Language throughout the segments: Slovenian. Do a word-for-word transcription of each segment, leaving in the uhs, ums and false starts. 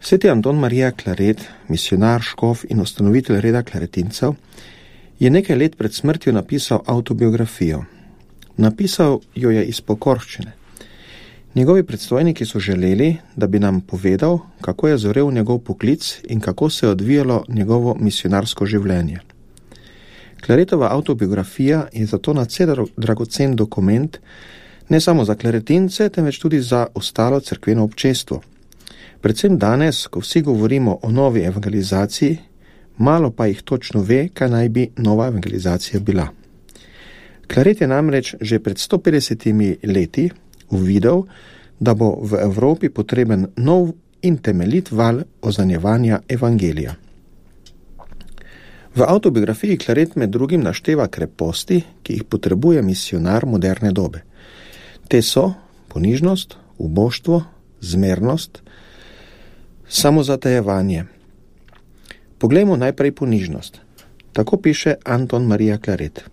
Sveti Anton Marija Claret, misionar, škof in ustanovitelj reda klaretincev, je nekaj let pred smrtjo napisal avtobiografijo. Napisal jo je iz pokorščine. Njegovi predstojniki so želeli, da bi nam povedal, kako je zorel njegov poklic in kako se je odvijalo njegovo misionarsko življenje. Claretova avtobiografija je zato nadvse dragocen dokument, ne samo za klaretince, temveč tudi za ostalo cerkveno občestvo. Predvsem danes, ko vsi govorimo o novi evangelizaciji, malo pa jih točno ve, kaj naj bi nova evangelizacija bila. Claret je namreč že pred sto petdesetimi leti uvidel, da bo v Evropi potreben nov in temeljit val oznanjevanja evangelija. V avtobiografiji Claret med drugim našteva kreposti, ki jih potrebuje misionar moderne dobe. Te so ponižnost, uboštvo, zmernost, samozatajevanje. Poglejmo najprej ponižnost. Tako piše Anton Marija Claret.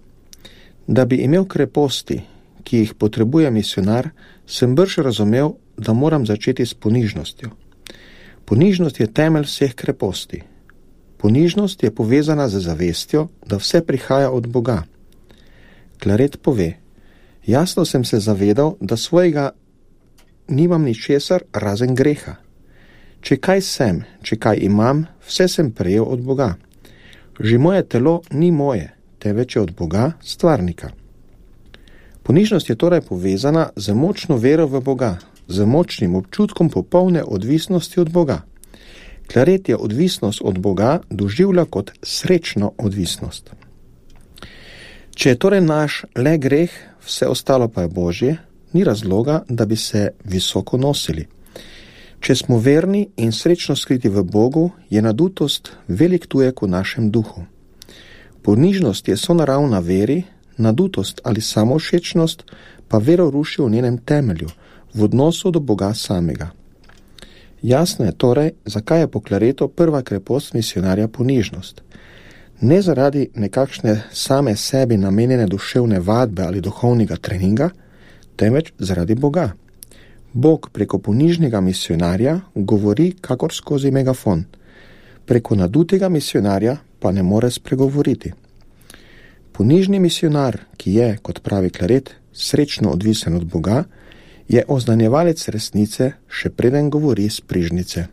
Da bi imel kreposti, ki jih potrebuje misionar, sem brž razumel, da moram začeti s ponižnostjo. Ponižnost je temelj vseh kreposti. Ponižnost je povezana z zavestjo, da vse prihaja od Boga. Claret pove, jasno sem se zavedal, da svojega nimam ničesar razen greha. Če kaj sem, če kaj imam, vse sem prejel od Boga. Že moje telo ni moje, temveč je od Boga, stvarnika. Ponižnost je torej povezana z močno vero v Boga, z močnim občutkom popolne odvisnosti od Boga. Claret je odvisnost od Boga doživlja kot srečno odvisnost. Če je torej naš le greh, vse ostalo pa je Božje, ni razloga, da bi se visoko nosili. Če smo verni in srečno skriti v Bogu, je nadutost velik tujek v našem duhu. Ponižnost je sonaravna veri, nadutost ali samovšečnost pa vero ruši v njenem temelju, v odnosu do Boga samega. Jasno je torej, zakaj je po Claretu prva krepost misionarja ponižnost. Ne zaradi nekakšne same sebi namenjene duševne vadbe ali duhovnega treninga, temveč zaradi Boga. Bog preko ponižnega misionarja govori kakor skozi megafon. Preko nadutega misionarja pa ne more spregovoriti. Ponižni misionar, ki je, kot pravi Claret, srečno odvisen od Boga, je oznanjevalec resnice, še preden govori s prižnice.